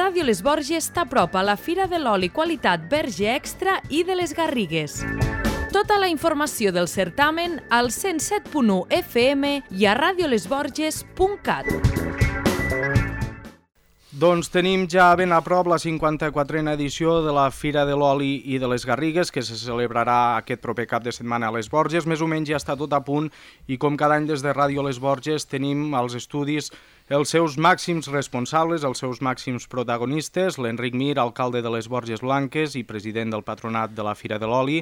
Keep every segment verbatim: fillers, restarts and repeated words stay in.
Ràdio Les Borges t'apropa a la Fira de l'Oli Qualitat Verge Extra i de les Garrigues. Tota la informació del certamen al cent set punt u F M i a radiolesborges punt cat. Doncs tenim ja ben a prop la cinquanta-quatrena edició de la Fira de l'Oli i de les Garrigues, que se celebrarà aquest proper cap de setmana a les Borges. Més o menys ja està tot a punt i com cada any des de Ràdio Les Borges tenim als estudis els seus màxims responsables, els seus màxims protagonistes, l'Enric Mir, alcalde de les Borges Blanques i president del patronat de la Fira de l'Oli,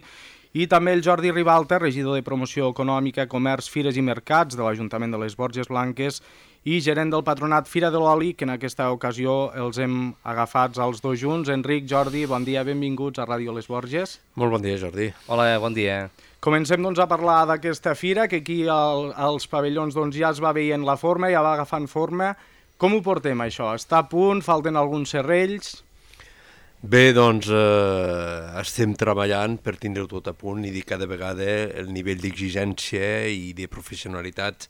i també el Jordi Ribalta, regidor de Promoció Econòmica, Comerç, Fires i Mercats de l'Ajuntament de les Borges Blanques i gerent del patronat Fira de l'Oli, que en aquesta ocasió els hem agafats els dos junts. Enric, Jordi, bon dia, benvinguts a Ràdio Les Borges. Molt bon dia, Jordi. Hola, bon dia. Comencem doncs, a parlar d'aquesta fira, que aquí al, als pavellons doncs, ja es va veient la forma, ja va agafant forma. Com ho portem, això? Està a punt? Falten alguns serrells? Bé, doncs eh, estem treballant per tindre-ho tot a punt i dir cada vegada el nivell d'exigència i de professionalitat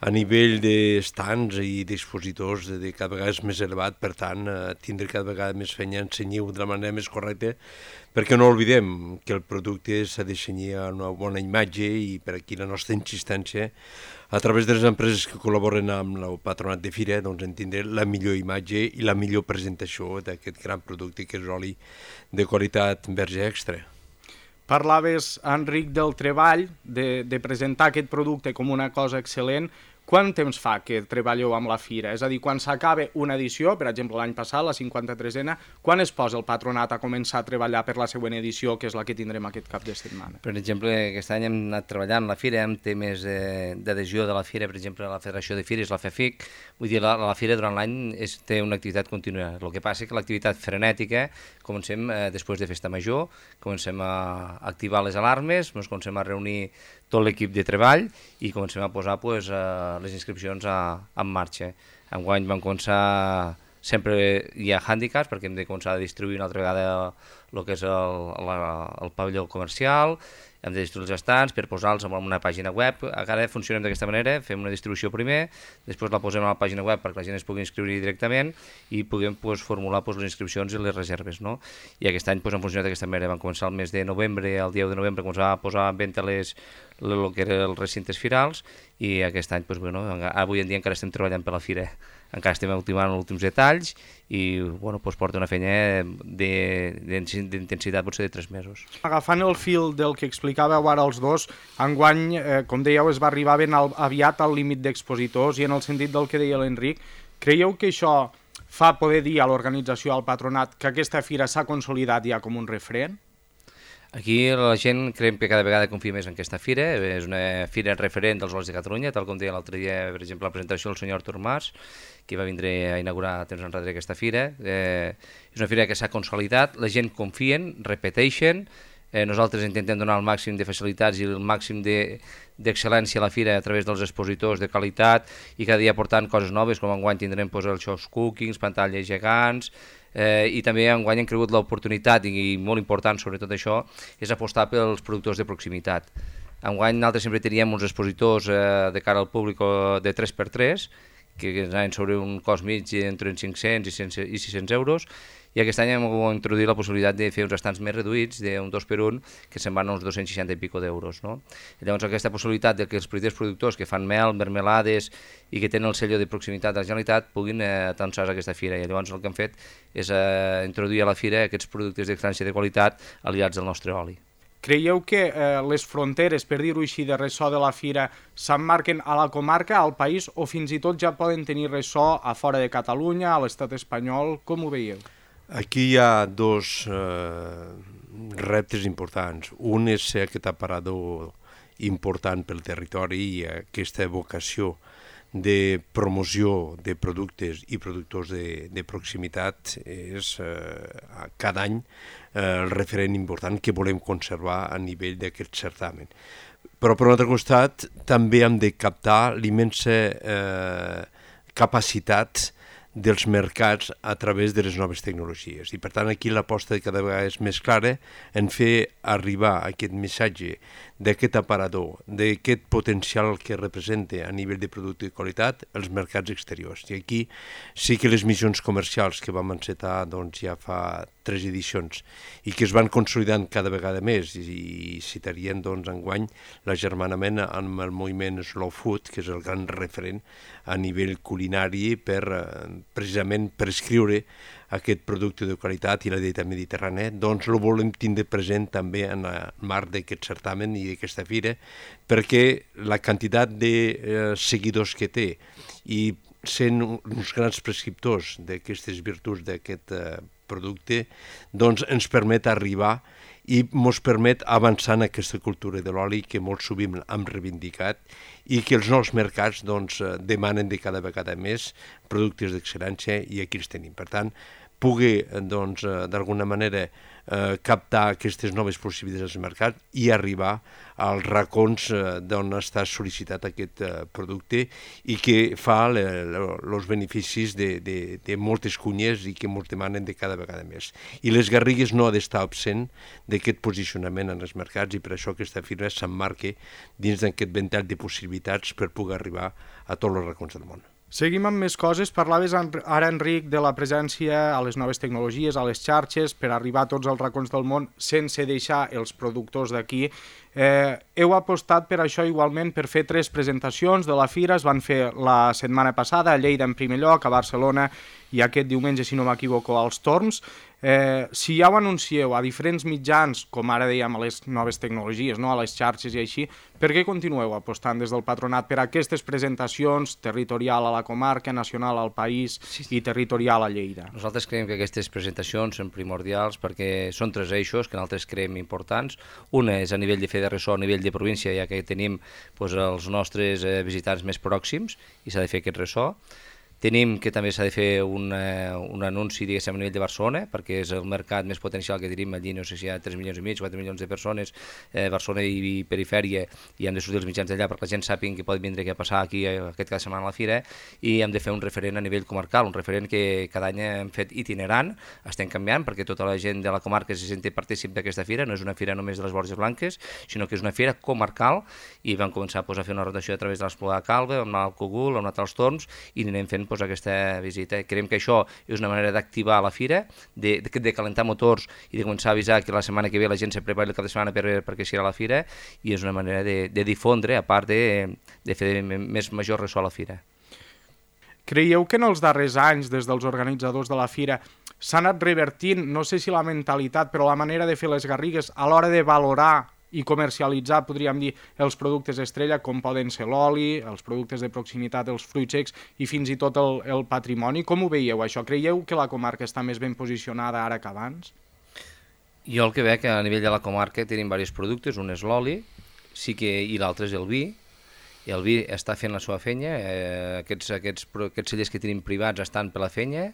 a nivell d'estants i d'expositors de cada vegada és més elevat, per tant, eh, tindre cada vegada més feina a ensenyar-ho de la manera més correcta, perquè no oblidem que el producte s'ha de cenyir a una bona imatge i per aquí la nostra insistència a través de les empreses que col·laboren amb el patronat de Fira, doncs entendre la millor imatge i la millor presentació d'aquest gran producte que és l'oli de qualitat Verge Extra. Parlaves, Enric, del treball, de, de presentar aquest producte com una cosa excel·lent. Quant temps fa que treballeu amb la Fira? És a dir, quan s'acaba una edició, per exemple l'any passat, la cinquanta-tresena, quan es posa el patronat a començar a treballar per la següent edició, que és la que tindrem aquest cap de setmana? Per exemple, aquest any hem anat treballant la Fira amb temes d'adhesió de la Fira, per exemple, la Federació de Fires, la FEFIC. Vull dir, la, la Fira durant l'any té una activitat contínua. El que passa és que l'activitat frenètica comencem eh, després de Festa Major, comencem a activar les alarmes, ens comencem a reunir tot l'equip de treball i comencem a posar pues, uh, les inscripcions a, en marxa. Enguany vam començar, sempre hi ha hàndicaps perquè hem de començar a distribuir una altra vegada el que és el, la, el pavelló comercial, hem de distribuir els estants per posar-los en una pàgina web. Ara funcionem d'aquesta manera, fem una distribució primer, després la posem a la pàgina web perquè la gent es pugui inscriure directament i puguem pues, formular pues, les inscripcions i les reserves. No? I aquest any pues, han funcionat d'aquesta manera. Vam començar el mes de novembre, el dia u de novembre, començar a posar en venda les, el que eren els recintes firals i aquest any, pues, bueno, avui en dia encara estem treballant per la Fira. Encara estem ultimant els últims detalls i bueno, doncs porta una feina d'intensitat potser de tres mesos. Agafant el fil del que explicàveu ara els dos, enguany, eh, com dèieu, es va arribar ben al, aviat al límit d'expositors i en el sentit del que deia l'Enric, creieu que això fa poder dir a l'organització, al patronat, que aquesta fira s'ha consolidat ja com un referent? Aquí la gent creiem que cada vegada confia més en aquesta fira, és una fira referent dels olis de Catalunya, tal com deia l'altre dia, per exemple, la presentació del senyor Artur Mas, que va vindre a inaugurar temps enrere aquesta fira. Eh, és una fira que s'ha consolidat, la gent confien, repeteixen, eh, nosaltres intentem donar el màxim de facilitats i el màxim d'excel·lència a la fira a través dels expositors de qualitat i cada dia portant coses noves, com enguany tindrem pues, els shows cookings, pantalles gegants, Eh, i també enguany hem cregut l'oportunitat i, i molt important sobre tot això és apostar pels productors de proximitat. Enguany nosaltres sempre teníem uns expositors eh, de cara al públic de tres per tres que anaven sobre un cost mig entre cinc-cents i sis-cents euros i aquest any hem introduït la possibilitat de fer uns estants més reduïts d'un dos per un que se'n van a uns dos-cents seixanta i pico d'euros. No? Llavors aquesta possibilitat de que els petits productors que fan mel, mermelades i que tenen el sello de proximitat de la Generalitat puguin eh, atançar a aquesta fira i llavors el que hem fet és eh, introduir a la fira aquests productes d'excel·lència de qualitat aliats al nostre oli. Creieu que eh, les fronteres, per dir-ho així, de ressò de la fira s'emmarquen a la comarca, al país, o fins i tot ja poden tenir ressò a fora de Catalunya, a l'estat espanyol? Com ho veieu? Aquí hi ha dos eh, reptes importants. Un és ser aquest aparador important pel territori i aquesta vocació de promoció de productes i productors de, de proximitat és eh, cada any eh, el referent important que volem conservar a nivell d'aquest certamen. Però per un altre costat també hem de captar l'immensa eh, capacitat dels mercats a través de les noves tecnologies. I per tant aquí l'aposta cada vegada és més clara en fer arribar aquest missatge d'aquest aparador, d'aquest potencial que representa a nivell de producte de qualitat els mercats exteriors. I aquí sí que les missions comercials que vam encetar doncs, ja fa tres edicions i que es van consolidant cada vegada més i, i citarien doncs, enguany l'agermanament amb el moviment Slow Food, que és el gran referent a nivell culinari per precisament per escriure aquest producte de qualitat i la dieta mediterrània, doncs el volem tindre present també en el marc d'aquest certamen i d'aquesta fira, perquè la quantitat de eh, seguidors que té i sent uns grans prescriptors d'aquestes virtuts d'aquest eh, producte, doncs ens permet arribar i ens permet avançar en aquesta cultura de l'oli que molt sovint hem reivindicat i que els nous mercats doncs, demanen de cada vegada més productes d'excel·lència i aquí els tenim. Per tant, pugui doncs, d'alguna manera eh, captar aquestes noves possibilitats dels mercats i arribar als racons eh, d'on està sol·licitat aquest eh, producte i que fa els beneficis de, de, de moltes cunyes i que ens demanen de cada vegada més. I les Garrigues no ha d'estar absent d'aquest posicionament en els mercats i per això aquesta fira s'emmarca dins d'aquest ventall de possibilitats per poder arribar a tots els racons del món. Seguim amb més coses. Parlaves ara, Enric, de la presència a les noves tecnologies, a les xarxes, per arribar a tots els racons del món sense deixar els productors d'aquí. Eh, heu apostat per això igualment per fer tres presentacions de la fira. Es van fer la setmana passada a Lleida en primer lloc, a Barcelona i aquest diumenge, si no m'equivoco, als Torms. Eh, si ja ho anuncieu a diferents mitjans, com ara dèiem, a les noves tecnologies, no? A les xarxes i així, per què continueu apostant des del patronat per aquestes presentacions territorial a la comarca, nacional al país sí, sí. i territorial a Lleida? Nosaltres creiem que aquestes presentacions són primordials perquè són tres eixos que nosaltres creiem importants. Una és a nivell de fer de ressò, a nivell de província, ja que tenim doncs, els nostres eh, visitants més pròxims i s'ha de fer aquest ressò. Tenim que també s'ha de fer un, uh, un anunci, diguéssim, a nivell de Barcelona, perquè és el mercat més potencial que tenim allí, no sé si hi ha tres milions i mig, quatre milions de persones, eh, Barcelona i, i perifèria, i hem de sortir els mitjans d'allà perquè la gent sàpiga que pot vindre a passar aquí eh, aquest cada setmana a la fira, i hem de fer un referent a nivell comarcal, un referent que cada any hem fet itinerant, estem canviant perquè tota la gent de la comarca se senti partícip d'aquesta fira, no és una fira només de les Borges Blanques, sinó que és una fira comarcal, i vam començar pues, a fer una rotació a través de l'Espluga de Calva, amb el Cogul, amb l'Atal Torms, i anirem fent pues, aquesta visita. Creiem que això és una manera d'activar la fira, de, de, de calentar motors i de començar a avisar que la setmana que ve la gent se prepari el cap de setmana per, perquè serà la fira, i és una manera de, de difondre, a part de, de fer més major ressò a la fira. Creieu que en els darrers anys, des dels organitzadors de la fira, s'ha anat revertint, no sé si la mentalitat, però la manera de fer les Garrigues a l'hora de valorar i comercialitzar, podríem dir, els productes estrella, com poden ser l'oli, els productes de proximitat, els fruits secs i fins i tot el, el patrimoni? Com ho veieu, això? Creieu que la comarca està més ben posicionada ara que abans? Jo el que veig que a nivell de la comarca tenim diversos productes, un és l'oli, sí que, i l'altre és el vi, i el vi està fent la seva feina, eh, aquests, aquests, aquests cellers que tenim privats estan per la feina,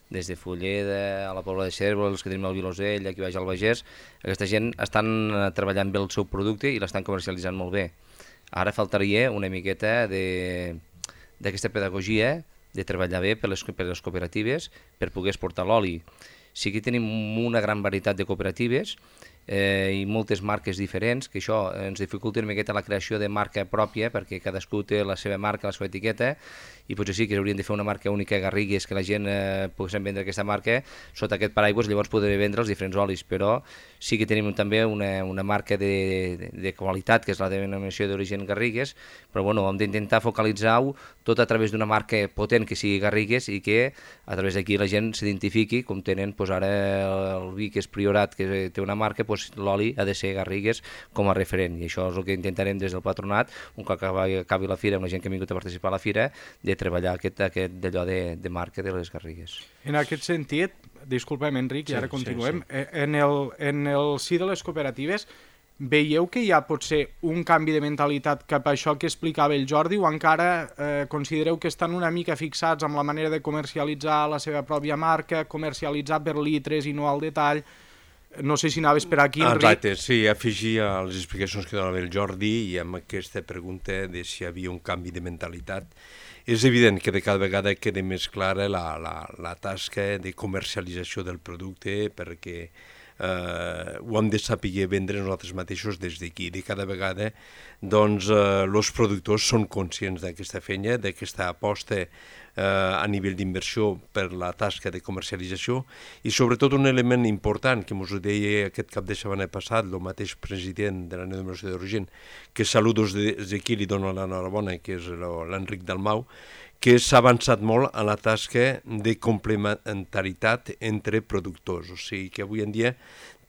des de Fulleda, a la Pobla de Cérvol, els que tenim al Vilosell, aquí baix al Bagès, aquesta gent estan treballant bé el seu producte i l'estan comercialitzant molt bé. Ara faltaria una miqueta d'aquesta pedagogia de treballar bé per les, per les cooperatives per poder exportar l'oli. Sí que tenim una gran varietat de cooperatives eh, i moltes marques diferents, que això ens dificulta una miqueta la creació de marca pròpia, perquè cadascú té la seva marca, la seva etiqueta, i potser sí que haurien de fer una marca única Garrigues, que la gent eh, pogués vendre aquesta marca sota aquest paraigües, llavors podré vendre els diferents olis, però sí que tenim també una, una marca de, de, de qualitat, que és la denominació d'origen Garrigues, però bueno, hem d'intentar focalitzar-ho tot a través d'una marca potent que sigui Garrigues i que a través d'aquí la gent s'identifiqui, com tenen pues, ara el vi, que és Priorat, que té una marca, pues, l'oli ha de ser Garrigues com a referent, i això és el que intentarem des del patronat, un cop acabi, acabi la fira, amb la gent que ha vingut a participar a la fira, de treballar aquest, aquest d'allò de, de marca de les Garrigues. En aquest sentit, disculpa'm Enric, i ara sí, continuem, sí, sí. En, el, en el si de les cooperatives, veieu que hi ha potser un canvi de mentalitat cap a això que explicava el Jordi, o encara eh, considereu que estan una mica fixats amb la manera de comercialitzar la seva pròpia marca, comercialitzar per litres i no al detall? No sé si anaves per aquí, Enric. Exacte, sí, afegir a les explicacions que donava el Jordi i amb aquesta pregunta de si hi havia un canvi de mentalitat. És evident que de cada vegada queda més clara la, la, la tasca de comercialització del producte, perquè eh, ho hem de saber vendre nosaltres mateixos des d'aquí. De cada vegada doncs, eh, els productors són conscients d'aquesta feina, d'aquesta aposta eh, a nivell d'inversió per la tasca de comercialització i sobretot un element important que ens ho deia aquest cap de setmana passat el mateix president de la denominació d'origen, que saludos des d'aquí li dono l'enhorabona, que és l'Enric Dalmau, que s'ha avançat molt a la tasca de complementaritat entre productors. O sigui que avui en dia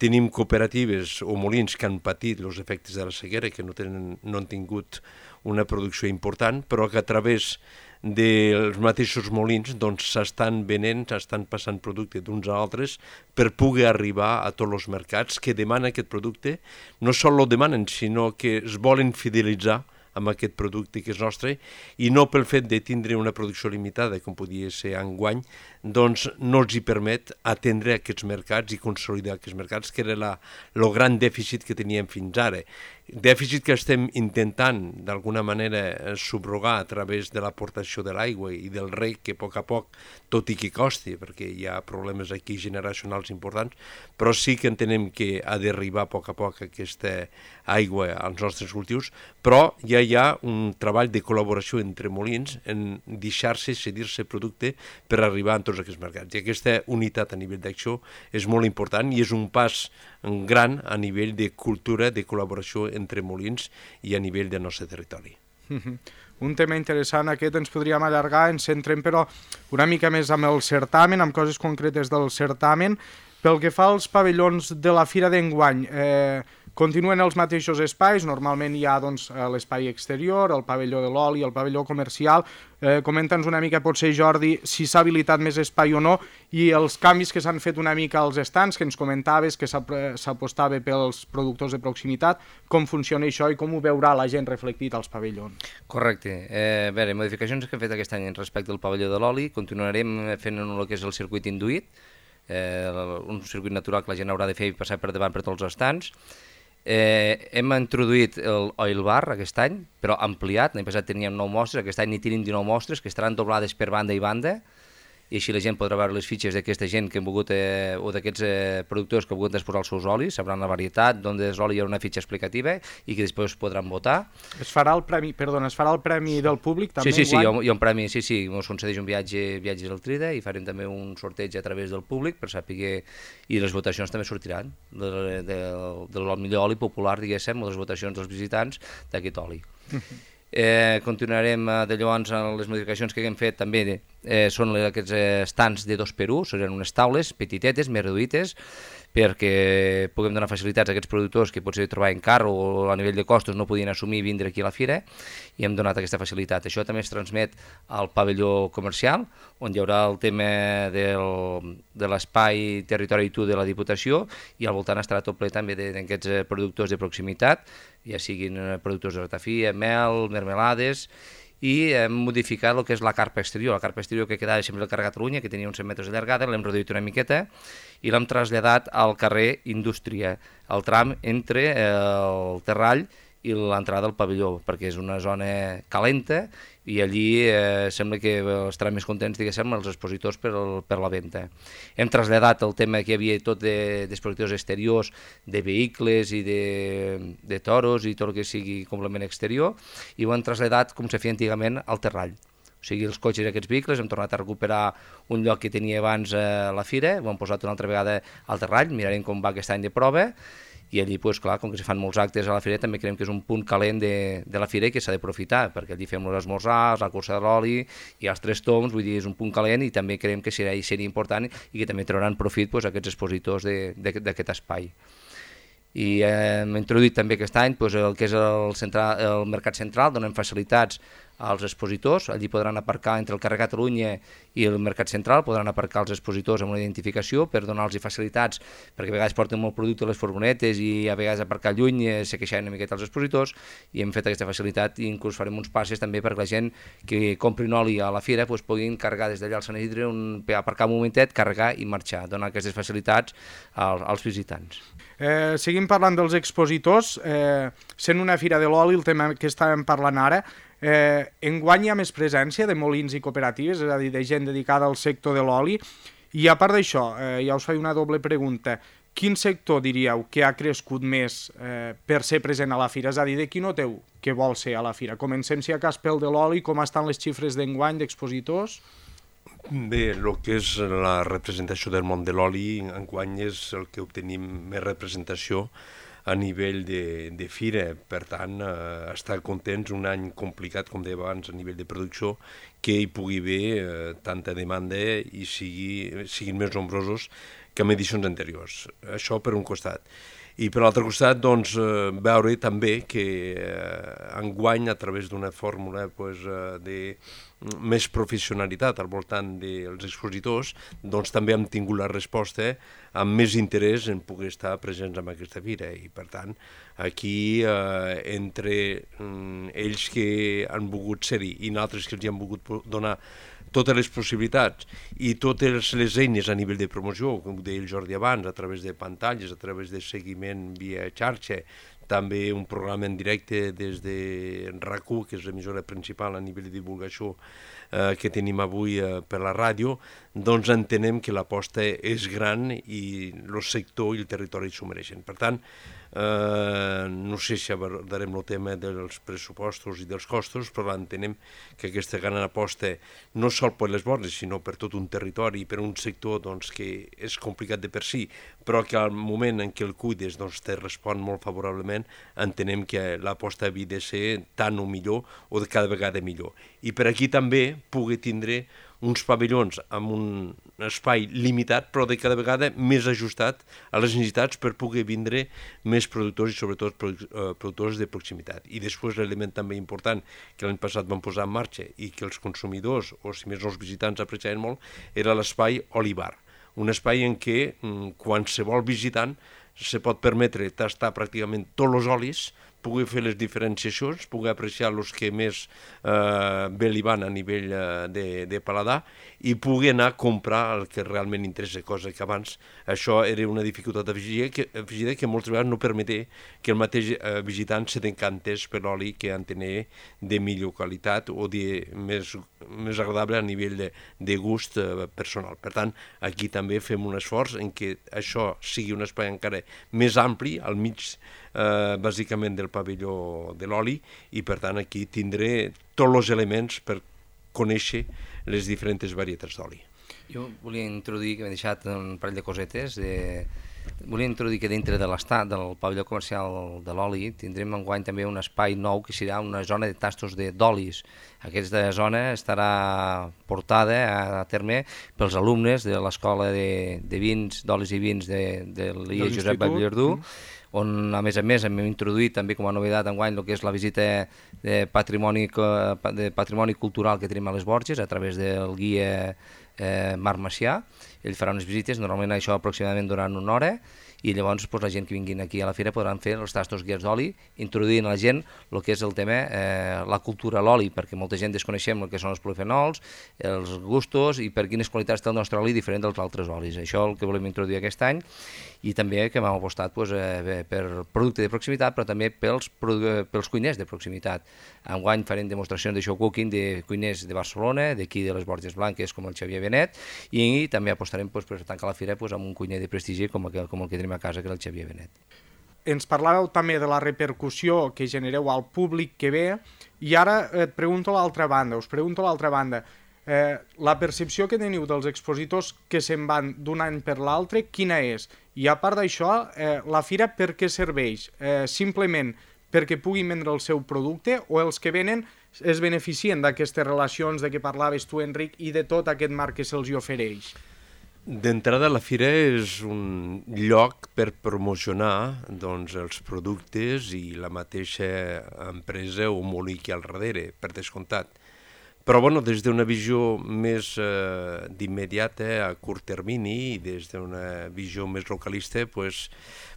tenim cooperatives o molins que han patit els efectes de la sequera, que no, tenen, no han tingut una producció important, però que a través dels mateixos molins doncs, s'estan venent, s'estan passant producte d'uns a altres per poder arribar a tots els mercats que demanen aquest producte. No sols el demanen, sinó que es volen fidelitzar amb aquest producte que és nostre i no pel fet de tindre una producció limitada, com podia ser enguany, doncs no els hi permet atendre aquests mercats i consolidar aquests mercats, que era el gran dèficit que teníem fins ara. Dèficit que estem intentant d'alguna manera subrogar a través de l'aportació de l'aigua i del reg, que a poc a poc, tot i que costi, perquè hi ha problemes aquí generacionals importants, però sí que entenem que ha d'arribar a poc a poc aquesta aigua als nostres cultius, però ja hi ha un treball de col·laboració entre molins en deixar-se cedir-se producte per arribar a tots aquests mercats. I aquesta unitat a nivell d'acció és molt important i és un pas gran a nivell de cultura, de col·laboració entre molins i a nivell del nostre territori. Un tema interessant aquest, ens podríem allargar, ens centrem però una mica més amb el certamen, amb coses concretes del certamen. Pel que fa als pavellons de la Fira d'enguany, eh, continuen els mateixos espais, normalment hi ha doncs, l'espai exterior, el pavelló de l'oli, el pavelló comercial. Eh, Comenta'ns una mica, potser, Jordi, si s'ha habilitat més espai o no, i els canvis que s'han fet una mica als estants, que ens comentaves que s'apostava pels productors de proximitat, com funciona això i com ho veurà la gent reflectit als pavellons. Correcte. Eh, a veure, modificacions que hem fet aquest any respecte al pavelló de l'oli, continuarem fent el que és el circuit induït, eh, un circuit natural que la gent haurà de fer i passar per davant per tots els estants. Eh, hem introduït el oil bar aquest any, però ampliat. L'any passat teníem nou mostres, aquest any n'hi tenim dinou mostres que estaran doblades per banda i banda, i així la gent podrà veure les fitxes d'aquesta gent que hem volgut, eh, o d'aquests eh, productors que han volgut exposar els seus olis, sabran la varietat, d'on és l'oli, hi haurà una fitxa explicativa i que després podran votar. Es farà el premi, perdona, es farà el premi del públic també? Sí, sí, sí, hi ha, hi ha un premi, sí, sí, ens concedeix un viatge, viatges al Trida i farem també un sorteig a través del públic per saber, i les votacions també sortiran de, de, del millor oli popular, diguéssim, o les votacions dels visitants d'aquest oli. Eh, continuarem eh, de llavors les modificacions que hem fet també eh, són aquests eh, estants de dos per un, seran unes taules petitetes, més reduïtes, perquè puguem donar facilitats a aquests productors que potser trobaven car o a nivell de costos no podien assumir vindre aquí a la fira, i hem donat aquesta facilitat. Això també es transmet al pavelló comercial, on hi haurà el tema del, de l'espai territori tu de la Diputació, i al voltant estarà tot ple també d'aquests productors de proximitat, ja siguin productors de ratafia, mel, mermelades, i hem modificat el que és la carpa exterior. La carpa exterior que quedava sempre al carrer Catalunya, que tenia uns cent metres de llargada, l'hem reduït una miqueta i l'hem traslladat al carrer Indústria, al tram entre el Terrall i l'entrada del pavelló, perquè és una zona calenta i allí eh, sembla que estaran més contents, diguéssim, els expositors per, el, per la venda. Hem traslladat el tema que hi havia tot d'expositors de, exteriors, de vehicles i de, de toros i tot el que sigui complement exterior, i ho hem traslladat, com se feia antigament, al Terrall. O sigui, els cotxes i aquests vehicles hem tornat a recuperar un lloc que tenia abans a la fira, ho hem posat una altra vegada al Terrall, mirarem com va aquest any de prova, i allí, pues, clar, com que se fan molts actes a la fira, també creiem que és un punt calent de, de la fira i que s'ha d'aprofitar, perquè allí fem els esmorzars, la cursa de l'oli i els tres toms, vull dir, és un punt calent i també creiem que serà, seria important i que també trauran profit, pues, aquests expositors d'aquest espai. I eh, hem introduït també aquest any pues, el que és el, central, el mercat central, donem facilitats als expositors, allí podran aparcar entre el carrer Catalunya i el mercat central, podran aparcar els expositors amb una identificació per donar-los facilitats, perquè a vegades porten molt producte a les furgonetes i a vegades aparcar lluny se queixaven una miqueta els expositors, i hem fet aquesta facilitat i inclús farem uns passes també perquè la gent que comprin oli a la fira pues, puguin carregar des d'allà al Sant Isidre, un, aparcar un momentet, carregar i marxar, donar aquestes facilitats als, als visitants. Eh, seguim parlant dels expositors, eh, sent una fira de l'oli, el tema que estàvem parlant ara, eh, enguany hi ha més presència de molins i cooperatives, és a dir, de gent dedicada al sector de l'oli, i a part d'això, eh, ja us faig una doble pregunta, quin sector diríeu que ha crescut més eh, per ser present a la fira? És a dir, de qui noteu que vol ser a la fira? Comencem, si a cas, pel de l'oli, com estan les xifres d'enguany d'expositors? Bé, el que és la representació del món de l'oli, enguany és el que obtenim més representació a nivell de, de fira. Per tant, eh, estar contents, un any complicat, com deia abans, a nivell de producció, que hi pugui haver eh, tanta demanda i sigui, siguin més nombrosos que en edicions anteriors. Això per un costat. I per l'altre costat, doncs, eh, veure també que eh, enguany, a través d'una fórmula pues, eh, de més professionalitat al voltant dels expositors, doncs també hem tingut la resposta amb més interès en poder estar presents en aquesta fira. I per tant, aquí, eh, entre mm, ells que han volgut ser-hi i altres que els hi han volgut donar totes les possibilitats i totes les eines a nivell de promoció, com deia el Jordi abans, a través de pantalles, a través de seguiment via xarxa, també un programa en directe des de RAC u, que és l'emissora principal a nivell de divulgació eh, que tenim avui eh, per la ràdio, doncs entenem que l'aposta és gran i el sector i el territori s'ho mereixen. Per tant, eh, no sé si abordarem el tema dels pressupostos i dels costos, però entenem que aquesta gran aposta no sol per les Borges, sinó per tot un territori, per un sector doncs, que és complicat de per si, però que al moment en què el cuides doncs, te respon molt favorablement, entenem que l'aposta havia de ser tant o millor o de cada vegada millor. I per aquí també pugui tindre uns pavellons amb un espai limitat, però de cada vegada més ajustat a les necessitats per poder vindre més productors i sobretot productors de proximitat. I després l'element també important que l'any passat vam posar en marxa i que els consumidors, o si més no els visitants, apreciaven molt, era l'espai Olivar. Un espai en què qualsevol visitant se pot permetre tastar pràcticament tots els olis, pugui fer les diferenciacions, pugui apreciar els que més eh, bé li van a nivell eh, de, de paladar i pugui anar a comprar el que realment interessa, cosa que abans això era una dificultat afegida que, afegida que moltes vegades no permeté que el mateix eh, visitant se decantés per l'oli que en tenia de millor qualitat o de més, més agradable a nivell de, de gust eh, personal. Per tant, aquí també fem un esforç en què això sigui un espai encara més ampli, al mig eh, bàsicament del pavelló de l'oli, i per tant aquí tindré tots els elements per conèixer les diferents varietats d'oli. Jo volia introduir, que m'he deixat un parell de cosetes, de... volia introduir que dintre de l'estat del pavelló comercial de l'oli tindrem enguany també un espai nou que serà una zona de tastos d'olis. Aquesta zona estarà portada a terme pels alumnes de l'Escola de, de Vins, d'Olis i Vins de, de l'I A Josep Vallverdú, mm. on a més a més hem introduït també com a novetat enguany el que és la visita de patrimoni, de patrimoni cultural que tenim a les Borges a través del guia eh, Marc Macià. Ell farà unes visites, normalment això aproximadament durant una hora, i llavors pues, la gent que vinguin aquí a la fira podran fer els tastos guiats d'oli, introduint a la gent el que és el tema, eh, la cultura a l'oli, perquè molta gent desconeixem el que són els polifenols, els gustos i per quines qualitats té el nostre oli diferent dels altres olis. Això és el que volem introduir aquest any, i també que hem apostat pues, eh, per producte de proximitat, però també pels, pels cuiners de proximitat. Enguany farem demostracions de show cooking de cuiners de Barcelona, d'aquí de les Borges Blanques, com el Xavier Benet, i també apostarem pues, per tancar la fira pues, amb un cuiner de prestigi com el, com el que tenim a casa, que és el Xavier Benet. Ens parlàveu també de la repercussió que genereu al públic que ve, i ara et pregunto l'altra banda, us pregunto l'altra banda. Eh, la percepció que teniu dels expositors que se'n van d'un any per l'altre, quina és? I a part d'això, eh, la fira per què serveix? Eh, simplement perquè puguin vendre el seu producte, o els que venen es beneficien d'aquestes relacions de què parlaves tu, Enric, i de tot aquest marc que se'ls ofereix? D'entrada, la fira és un lloc per promocionar doncs, els productes i la mateixa empresa o molí que al darrere, per descomptat. Però bueno, des d'una visió més eh, d'immediata, a curt termini, i des d'una visió més localista, pues,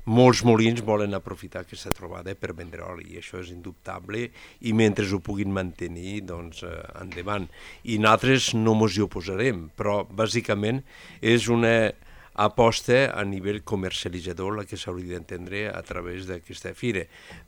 molts molins volen aprofitar aquesta trobada per vendre oli, i això és indubtable, i mentre ho puguin mantenir, doncs, eh, endavant. I nosaltres no mos hi oposarem, però bàsicament és una aposta a nivell comercialitzador la que s'hauria d'entendre a través d'aquesta fira.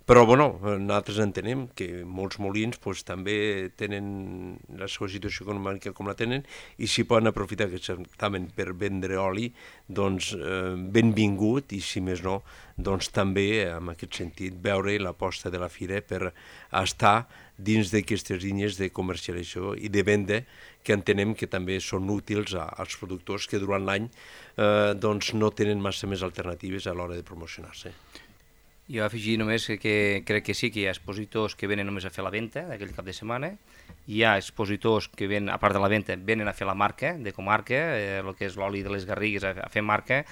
Però, bueno, nosaltres entenem que molts molins pues, també tenen la seva situació econòmica com la tenen i si poden aprofitar aquest certamen per vendre oli, doncs eh, benvingut i, si més no, doncs també, en aquest sentit, veure l'aposta de la fira per estar dins d'aquestes línies de comercialització i de venda que entenem que també són útils als productors que durant l'any eh, doncs no tenen massa més alternatives a l'hora de promocionar-se. Jo afegir només que, que crec que sí que hi ha expositors que venen només a fer la venda d'aquell cap de setmana, hi ha expositors que ven, a part de la venda, venen a fer la marca de comarca, eh, el que és l'oli de les Garrigues, a, a fer marca,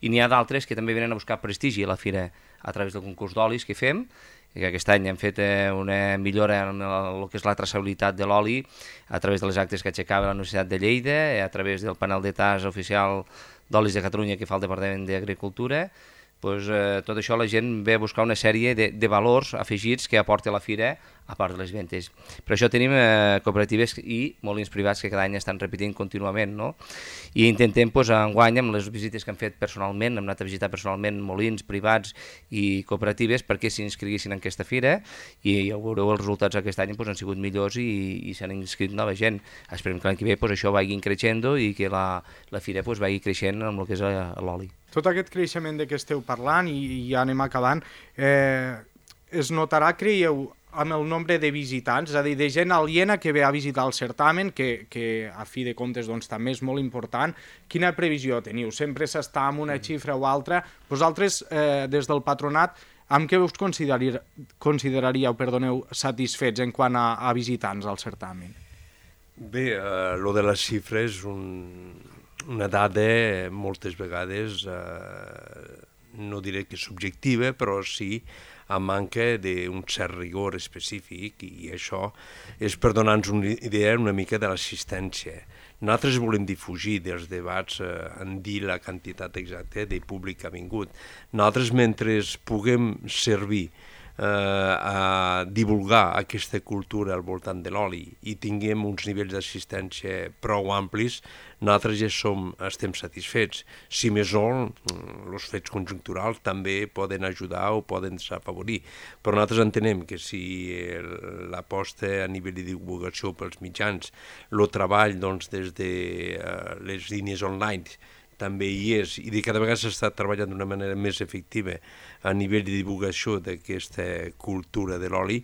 i n'hi ha d'altres que també venen a buscar prestigi a la fira a través del concurs d'olis que fem, que aquest any hem fet una millora en el que és la traçabilitat de l'oli a través de les actes que aixecava la Universitat de Lleida, a través del panel de tas oficial d'olis de Catalunya que fa el Departament d'Agricultura. Pues, eh, tot això la gent ve a buscar una sèrie de, de valors afegits que aporta la fira a part de les ventes. Per això tenim eh, cooperatives i molins privats que cada any estan repetint contínuament, no? I intentem, pues, enguany, amb les visites que hem fet personalment, hem anat a visitar personalment molins privats i cooperatives perquè s'inscriguessin en aquesta fira i ja veureu els resultats aquest any pues, han sigut millors i, i s'han inscrit nova gent. Esperem que l'any que ve pues, això vagi creixent i que la, la fira pues, vagi creixent amb el que és l'oli. Tot aquest creixement de què esteu parlant, i, i ja anem acabant, eh, es notarà, creieu, amb el nombre de visitants, és a dir, de gent aliena que ve a visitar el certamen, que, que a fi de comptes doncs, també és molt important. Quina previsió teniu? Sempre s'està amb una xifra o altra. Vosaltres, eh, des del patronat, amb què us consideraríeu, consideraríeu perdoneu, satisfets en quant a, a visitants al certamen? Bé, eh, lo de les xifres, un, una dada moltes vegades, eh, no diré que subjectiva, però sí a manca d'un cert rigor específic, i això és per donar-nos una idea una mica de l'assistència. Nosaltres volem difugir dels debats eh, en dir la quantitat exacta de públic que ha vingut. Nosaltres, mentre puguem servir eh, a divulgar aquesta cultura al voltant de l'oli i tinguem uns nivells d'assistència prou amplis, nosaltres ja som, estem satisfets. Si més no, els fets conjunturals també poden ajudar o poden desafavorir. Però nosaltres entenem que si l'aposta a nivell de divulgació pels mitjans, el treball doncs, des de uh, les línies online, també hi és, i de cada vegada s'està treballant d'una manera més efectiva a nivell de divulgació d'aquesta cultura de l'oli,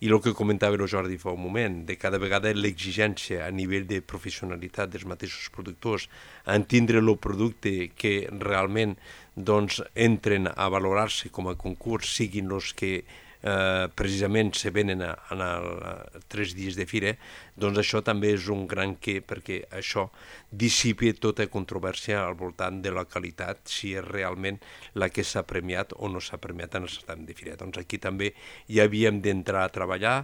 i el que comentava el Jordi fa un moment, de cada vegada l'exigència a nivell de professionalitat dels mateixos productors en tindre el producte que realment doncs, entren a valorar-se com a concurs, siguin els que Eh, precisament se venen a, a, a, a tres dies de fira, doncs això també és un gran què, perquè això dissipi tota controvèrsia al voltant de la qualitat, si és realment la que s'ha premiat o no s'ha premiat en el certamen de fira. Doncs aquí també hi havíem d'entrar a treballar,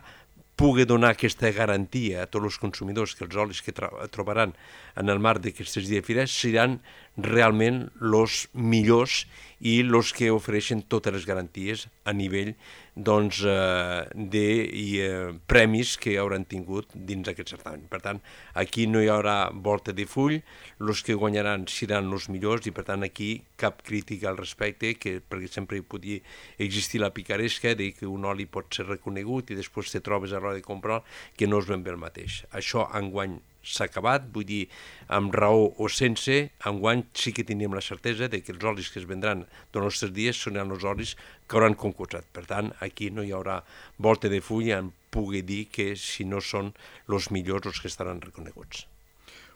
pugui donar aquesta garantia a tots els consumidors que els olis que trobaran en el marc d'aquestes dies de fira seran realment els millors i els que ofereixen totes les garanties a nivell doncs, eh, de i, eh, premis que hauran tingut dins aquest certamen. Per tant, aquí no hi haurà volta de full, els que guanyaran seran els millors i per tant aquí cap crítica al respecte, que, perquè sempre hi podia existir la picaresca de que un oli pot ser reconegut i després te trobes a l'hora de comprar que no és ben bé el mateix. Això enguany s'ha acabat, vull dir, amb raó o sense, enguany sí que teníem la certesa de que els olis que es vendran durant els tres dies seran els olis que hauran concursat. Per tant, aquí no hi haurà volta de full en pugui dir que si no són els millors els que estaran reconeguts.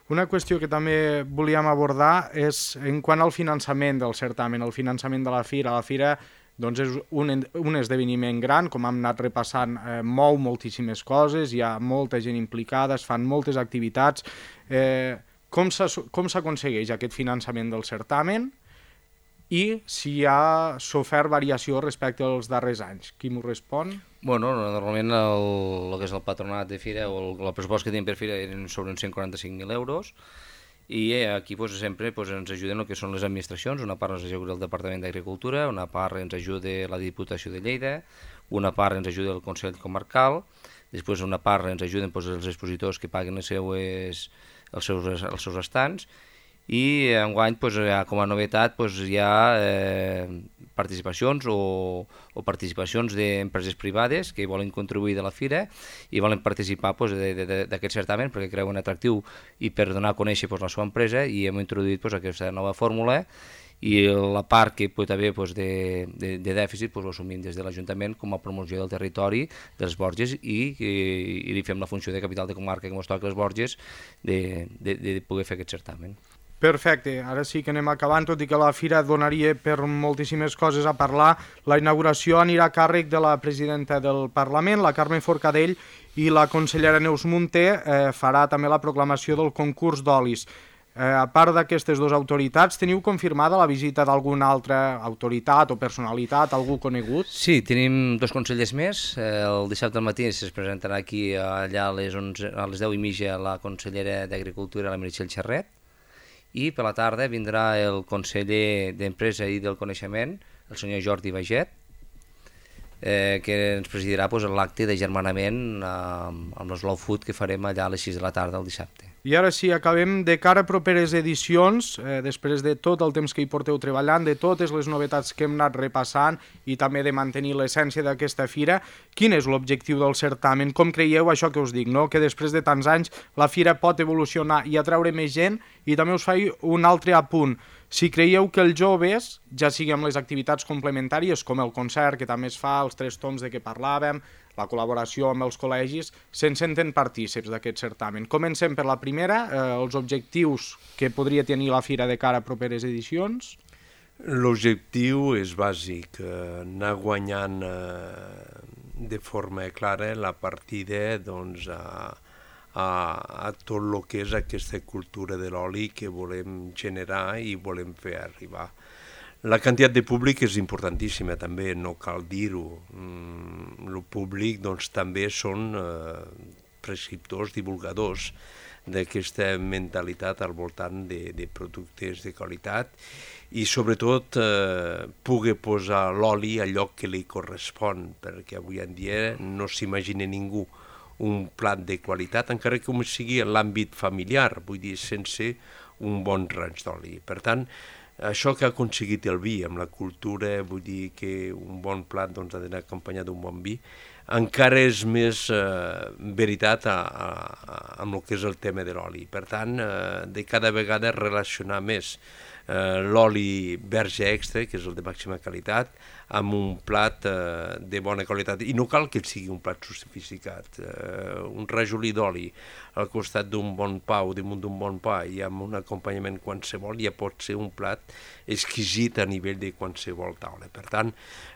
Una qüestió que també volíem abordar és en quant al finançament del certamen, el finançament de la fira. La fira doncs és un, un esdeveniment gran, com hem anat repassant, eh, mou moltíssimes coses, hi ha molta gent implicada, es fan moltes activitats. Eh, com s'aconsegueix aquest finançament del certamen i si hi ha sofert variació respecte als darrers anys? Qui m'ho respon? Bueno, normalment el, el que és el patronat de fira o el, el pressupost que tenim per fira eren sobre uns cent quaranta-cinc mil euros, i aquí pues, sempre pues, ens ajuden el que són les administracions. Una part ens ajuda el Departament d'Agricultura, una part ens ajuda la Diputació de Lleida, una part ens ajuda el Consell Comarcal, després una part ens ajuden pues, els expositors que paguen les seues, els, seus, els seus estants, i enguany pues, com a novetat pues, hi ha eh, participacions o, o participacions d'empreses privades que volen contribuir de la fira i volen participar pues, d'aquest certamen perquè creuen atractiu i per donar a conèixer pues, la seva empresa, i hem introduït pues, aquesta nova fórmula, i la part que pot haver pues, de, de, de dèficit pues, ho assumim des de l'Ajuntament com a promoció del territori dels Borges i, i, i li fem la funció de capital de comarca que ens toca les Borges de, de, de poder fer aquest certamen. Perfecte, ara sí que anem acabant, tot i que la fira donaria per moltíssimes coses a parlar. La inauguració anirà a càrrec de la presidenta del Parlament, la Carme Forcadell, i la consellera Neus Munté eh, farà també la proclamació del concurs d'olis. Eh, a part d'aquestes dues autoritats, teniu confirmada la visita d'alguna altra autoritat o personalitat, algú conegut? Sí, tenim dos consellers més. El dissabte al matí es presentarà aquí allà a les, onze, a les deu i mitja la consellera d'Agricultura, la Meritxell Xerret, i per la tarda vindrà el conseller d'Empresa i del Coneixement, el senyor Jordi Baget, eh, que ens presidirà pues, l'acte de germanament eh, amb l'Slow Food que farem allà a les sis de la tarda el dissabte. I ara sí, acabem de cara a properes edicions, eh, després de tot el temps que hi porteu treballant, de totes les novetats que hem anat repassant i també de mantenir l'essència d'aquesta fira. Quin és l'objectiu del certamen? Com creieu això que us dic, no? Que després de tants anys la fira pot evolucionar i atraure més gent? I també us faig un altre apunt. Si creieu que els joves, ja sigui amb les activitats complementàries com el concert que també es fa, els tres toms de què parlàvem, la col·laboració amb els col·legis, se'n senten partícips d'aquest certamen. Comencem per la primera, eh, els objectius que podria tenir la fira de cara a properes edicions. L'objectiu és bàsic, eh, anar guanyant eh, de forma clara la partida doncs, a, a, a tot el que és aquesta cultura de l'oli que volem generar i volem fer arribar. La quantitat de públic és importantíssima també, no cal dir-ho. Mm, el públic doncs, també són eh, prescriptors, divulgadors d'aquesta mentalitat al voltant de, de productes de qualitat i sobretot eh, pugui posar l'oli al lloc que li correspon, perquè avui en dia no s'imagina ningú un plat de qualitat, encara que sigui en l'àmbit familiar, vull dir, sense un bon raig d'oli. Per tant, això que ha aconseguit el vi amb la cultura, vull dir que un bon plat doncs, ha d'anar acompanyat d'un bon vi, encara és més eh, veritat a, a, a, amb el que és el tema de l'oli. Per tant, eh, de cada vegada relacionar més eh, l'oli verge extra, que és el de màxima qualitat, amb un plat eh, de bona qualitat. I no cal que sigui un plat sofisticat. Eh, un rajolí d'oli al costat d'un bon pa o damunt d'un bon pa i amb un acompanyament qualsevol ja pot ser un plat exquisit a nivell de qualsevol taula. Per tant,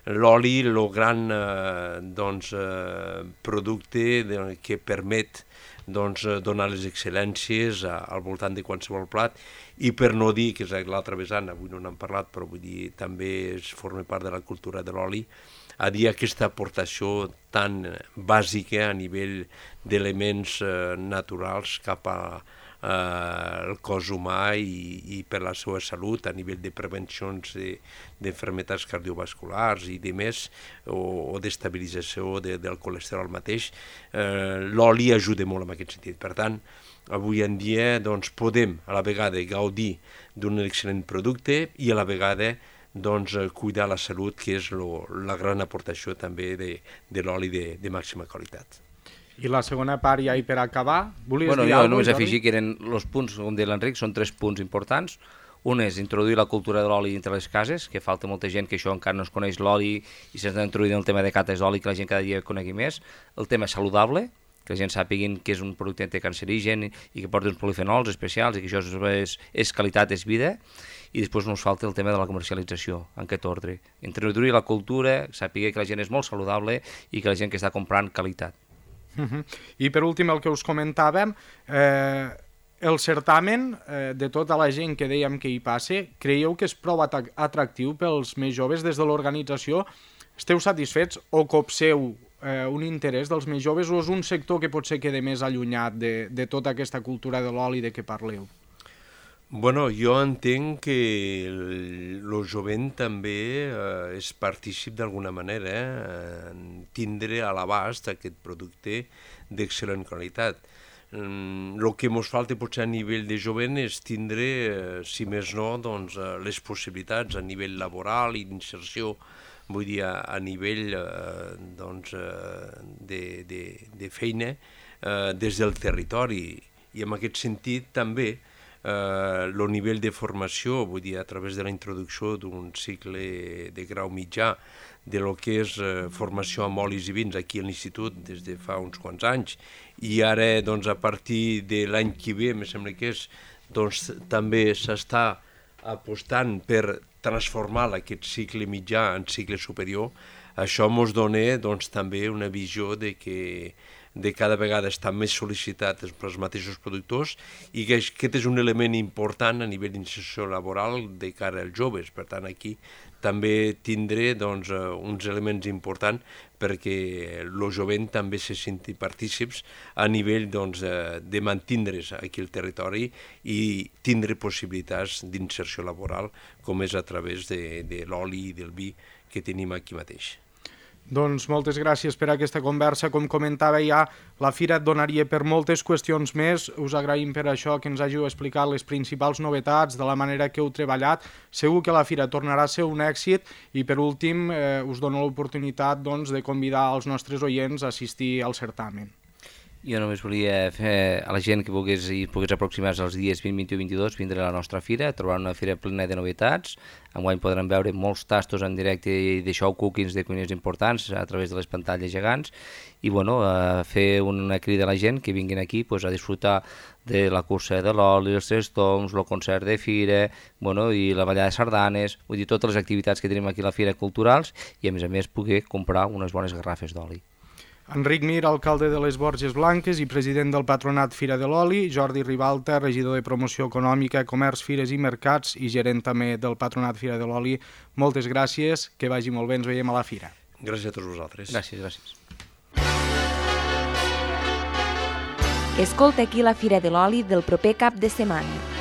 l'oli, el gran eh, doncs, eh, producte de, que permet doncs, donar les excel·lències a, al voltant de qualsevol plat, i per no dir, que és l'altra vessant, avui no n'hem parlat, però vull dir, també es forma part de la cultura de l'oli, a dir aquesta aportació tan bàsica a nivell d'elements eh, naturals cap al eh, cos humà i, i per la seva salut a nivell de prevencions d'enfermetats cardiovasculars i de més, o, o d'estabilització de, del colesterol mateix. Eh, l'oli ajuda molt en aquest sentit. Per tant, avui en dia doncs, podem a la vegada gaudir d'un excel·lent producte i a la vegada doncs, cuidar la salut, que és lo, la gran aportació també de, de l'oli de, de màxima qualitat. I la segona part ja i per acabar, volies bueno, dir jo alguna cosa? Només afegir que eren els punts, com deia l'Enric, són tres punts importants. Un és introduir la cultura de l'oli entre les cases, que falta molta gent que això encara no es coneix l'oli i s'ha d'introduir en el tema de cates d'oli, que la gent cada dia conegui més. El tema saludable, que la gent sàpiguin que és un producte anticancerigen i que porta uns polifenols especials i que això és, és qualitat, és vida. I després no ens falta el tema de la comercialització, en aquest ordre. Introduir la cultura, sàpiga que la gent és molt saludable i que la gent que està comprant qualitat. Uh -huh. I per últim, el que us comentàvem, eh, el certamen, eh, de tota la gent que dèiem que hi passa, creieu que és prou atractiu pels més joves des de l'organització? Esteu satisfets o copseu eh, un interès dels més joves o és un sector que potser queda més allunyat de, de tota aquesta cultura de l'oli de què parleu? Bueno, jo entenc que el, el jovent també eh, és partícip d'alguna manera, eh, en tindre a l'abast aquest producte d'excel·lent qualitat. el que ens falta potser a nivell de jovent és tindre, eh, si més no, doncs, eh, les possibilitats a nivell laboral i d'inserció, vull dir, a, a nivell eh, doncs, eh, de, de, de feina eh, des del territori. I en aquest sentit també el eh, nivell de formació, vull dir, a través de la introducció d'un cicle de grau mitjà, de lo que és eh, formació amb olis i vins aquí a l'institut des de fa uns quants anys, i ara doncs, a partir de l'any que ve, em sembla que és, doncs, també s'està apostant per transformar aquest cicle mitjà en cicle superior. Això ens dona doncs, també una visió de que de cada vegada estan més sol·licitats pels mateixos productors i que aquest és un element important a nivell d'inserció laboral de cara als joves. Per tant, aquí també tindré doncs, uns elements importants perquè el jovent també se senti partícips a nivell doncs, de mantindre's aquí al territori i tindre possibilitats d'inserció laboral, com és a través de, de l'oli i del vi que tenim aquí mateix. Doncs moltes gràcies per aquesta conversa. Com comentava ja, la fira et donaria per moltes qüestions més. Us agraïm per això que ens hàgiu explicat les principals novetats, de la manera que heu treballat. Segur que la fira tornarà a ser un èxit i per últim eh, us dono l'oportunitat doncs, de convidar els nostres oients a assistir al certamen. Jo només volia fer a la gent que volgués, pogués aproximar-se els dies vint, vint-i-u i vint-i-dos, vindre a la nostra fira, trobar una fira plena de novetats. Enguany podran veure molts tastos en directe de show cookings de cuiners importants a través de les pantalles gegants i bueno, a fer una crida a la gent que vinguin aquí pues, a disfrutar de la cursa de l'oli, els tres toms, el concert de fira, bueno, i la ballada de sardanes, vull dir, totes les activitats que tenim aquí a la fira culturals i a més a més poder comprar unes bones garrafes d'oli. Enric Mir, alcalde de les Borges Blanques i president del Patronat Fira de l'Oli, Jordi Ribalta, regidor de Promoció Econòmica, Comerç, Fires i Mercats i gerent també del Patronat Fira de l'Oli, moltes gràcies, que vagi molt bé, ens veiem a la fira. Gràcies a tots vosaltres. Gràcies, gràcies. Escolta aquí la Fira de l'Oli del proper cap de setmana.